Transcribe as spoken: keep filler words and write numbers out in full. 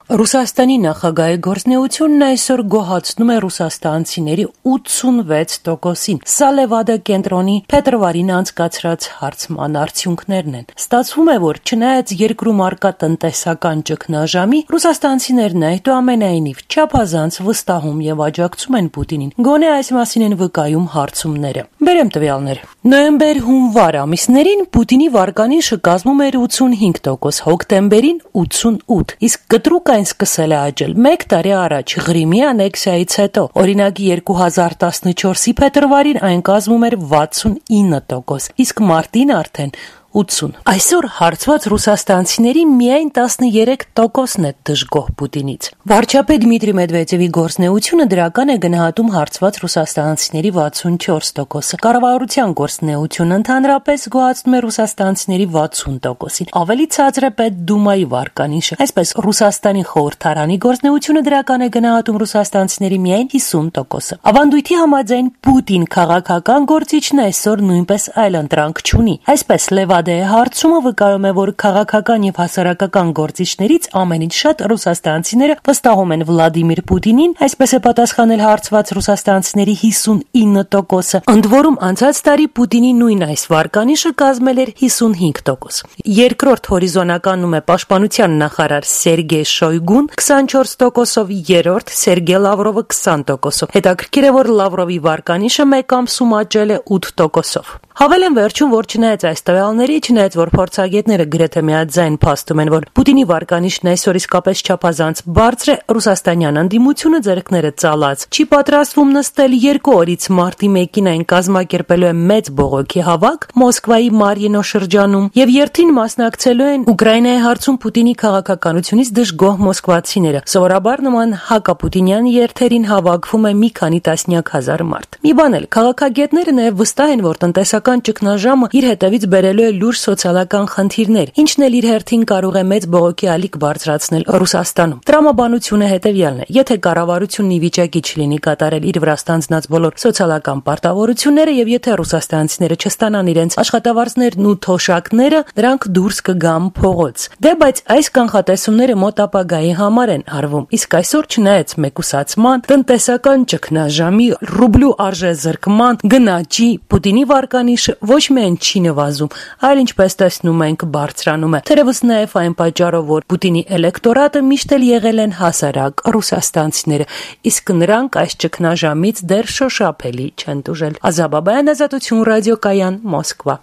Ռուսաստանի նախագահի գործունեությունն այսօր գոհացնում է ռուսաստանցիների ութսունվեց տոկոսին։ Սա Լևադա կենտրոնի փետրվարին անցկացրած հարցման արդյունքներն են։ Ստացվում է, որ չնայած երկրում առկա տնտեսական ճգնաժամի, ռուսաստանցիներն այդուամենայնիվ չափազանց վստահում եւ աջակցում են Պուտինին։ Գոնե այս մասին են վկայում հարցումները։ Բերեմ տվյալներ։ Նոյեմբեր-հունվար ամիսներին Պուտինի վարկանիշը կազմում էր ութսունհինգ տոկոս, հոկտեմբերին ութսունութ, իսկ կտրուկ այն սկսել է աճել մեկ տարի առաջ Ղրիմի անեքսիայից հետո։ Օրինակ երկու հազար տասնչորսի փետրվարին այն կազմում էր վաթսունինը տոկոս, իսկ մարտին արդեն ութսուն։ Այսօր հարցված ռուսաստանցիների միայն տասներեք տոկոսն է դժգոհ Պուտինից։ Վարչապետ Դմիտրի Մեդվեդևի գործունեությունը դրական է գնահատում հարցված ռուսաստանցիների վաթսունչորս տոկոսը։ Կառավարության գործունեությունը ընդհանրապես գոհացնում է ռուսաստանցիների վաթսուն տոկոսին։ Ավելի ցածր է Պետդումայի վարկանիշը։ Այսպես Ռուսաստանի խորհրդարանի գործունեությունը դրական է գնահատում ռուսաստանցիների միայն հիսուն տոկոսը։ Ավանդույթի համաձայն Պուտին քաղաքական գործիչն այսօր նույնպես այլընտրանք չունի։ Այսպես Լևադա հարցումը վկայում է, որ քաղաքական եւ հասարակական գործիչներից ամենից շատ ռուսաստանցիները վստահում են Վլադիմիր Պուտինին, այսպես է պատասխանել հարցված ռուսաստանցիների հիսունինը տոկոսը։ Ընդ որում անցած տարի Պուտինի նույն այս վարկանիշը կազմել էր հիսունհինգ տոկոս։ Երկրորդ հորիզոնականում է պաշտպանության նախարար Սերգեյ Շոյգուն քսանչորս տոկոսով, երրորդ Սերգեյ Լավրովը քսան տոկոսով։ Հետաքրքիր է, որ Լավրովի վարկանիշը մեկ ամսում աճել է ութ տոկոսով։ Հավելեմ վերջում, որ չնայած այս տվյալների, չնայած որ փորձագետները գրեթե միաձայն փաստում են, որ Պուտինի վարկանիշն այսօր իսկապես չափազանց բարձր է, ռուսաստանյան անդիմությունը ձեռքները ծալած չի պատրաստվում նստել երկու օրից մարտի մեկին այն կազմակերպելու է մեծ բողոքի հավաք Մոսկվայի Մարիինո շրջանում եւ երթին մասնակցելու են Ուկրաինայի հարցում Պուտինի քաղաքականությունից դժգոհ մոսկվացիները։ Սովորաբար նման հակապուտինյան երթերին հավաքվում է մի քանի տասնյակ հազար մարդ։ Մի բան էլ, քաղաքագետները նաեւ վստահ են, որ տնտեսական ճգնաժամը իր հետևից բերելու է լուրջ սոցիալական խնդիրներ, ինչն էլ իր հերթին կարող է մեծ բողոքի ալիք բարձրացնել Ռուսաստանում։ Տրամաբանությունը հետևյալն է. եթե կառավարությունն ի վիճակի չլինի կատարել իր վրա ստանձնած բոլոր սոցիալական պարտավորությունները եւ եթե ռուսաստանցիները չստանան իրենց աշխատավարձներն ու թոշակները, դրանք դուրս կգան փողոց։ Դե բայց այս կանխատեսումները մոտ ապագայի համար են արվում։ Իսկ այսօր չնայած մեկուսացման, տնտեսական ճգնաժամի, ռուբլու արժեզրկման, գնաճի, Պուտինի վարկանիշը ոչ միայն չի նվազում, այլ ինչպես տեսնում ենք բարձրանում է։ Թերևս նաև այն պատճառով, որ Պուտինի էլեկտորատը միշտ էլ եղել են հասարակ ռուսաստանցիները, իսկ նրանք այս ճգնաժամից դեռ շոշափելի չեն տուժել։ Ազաբաբայան, Ազատություն ռադիոկայան, Մոսկվա։